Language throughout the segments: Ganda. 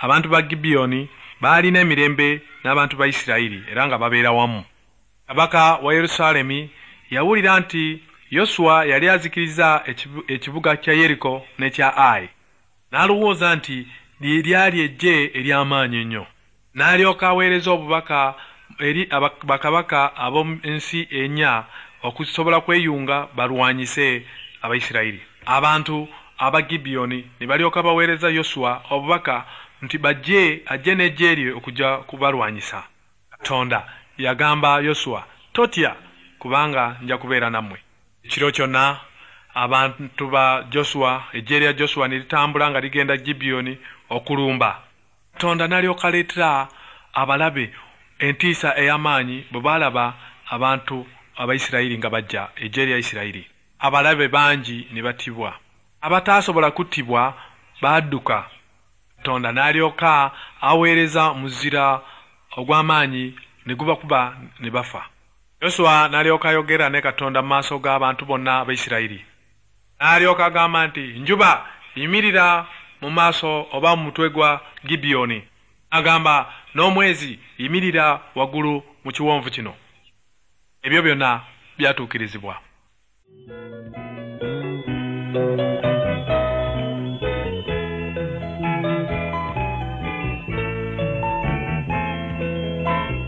Abantu ba Gibiyoni baalina emirembe n'abantu ba Isirayiri era nga babeera wamu. Kabaka wa Yerusaalemi yawulira nti Yosuwa yali azikiriza ekibuga kya Yeriko n'ekya Ayi. N'alowooza nti lye lyali eggye ery'amaanyi ennyo. N'alyoka aweereza obubaka eri bakabaka ab'omu nsi ennya okusobola kweyunga balwanyise Abayisirayiri. Abantu aba Gibiyoni ne balyoka baweereza Yosuwa obubaka nti bajje ajje n'eggye lye okujja kubalwanyisa. Katonda yagamba Yosuwa, totya kubanga nja kubeera nammwe. Ekiro kyonna abantu ba Josuwa, eggye lya Josuwa ne litambula nga ligenda Gibiyoni okulumba. Katonda n'alyoka aleetera abalabe entiisa ey'amaanyi bwe baalaba abantu Abayisirayiri nga bajja, eggye lya Isirayiri. Abalabe bangi ne battibwa. Abataasobola kuttibwa baadduka. Katonda n'alyoka aweereza muzira ogw'amaanyi ne gubakuba ne bafa. Yosuwa n'alyoka ayogera ne Katonda mu maaso g'abantu bonna Abayisirayiri. N'alyoka agamba nti, njuba yimirira mu maaso oba mu mutwe gwa Gibiyoni. Agamba n'omwezi yimirira waggulu mu kiwonvu kino. Ebyo byonna byatuukirizibwa.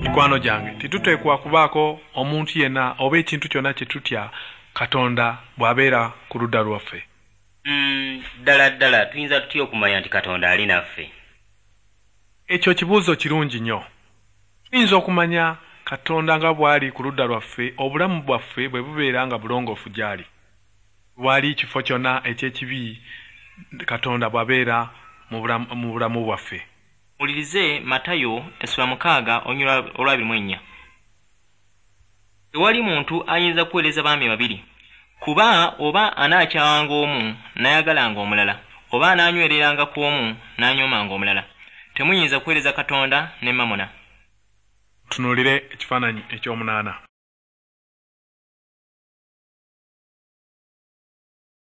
Mikwano gyange, tetuteekwa kubaako omuntu yenna oba ekintu kyonna kye tutya Katonda bw'abeera ku ludda lwaffe. Ddala ddala tuyinza tutya okumanya nti Katonda ali naffe? Ekyo kibuuzo kirungi nnyo. Tuyinza okumanya Katonda nga bw'ali ku ludda lwaffe obulamu bwaffe bwe bubeera nga bulongoofu gy'ali. Wali kifo kyonna eky'ekibi Katonda bw'abeera mu bulamu bwaffe. Muwulirize Matayo essula 6 olwa 24. Tewali muntu ayinza kuweereza baami babiri, kuba oba anaakyawanga omu n'ayagalanga omulala, oba anaanywereranga ku omu n'anyoomanga omulala. Temuyinza kuweereza Katonda ne Mamona. Tunuulire ekifaananyi eky'omunaana.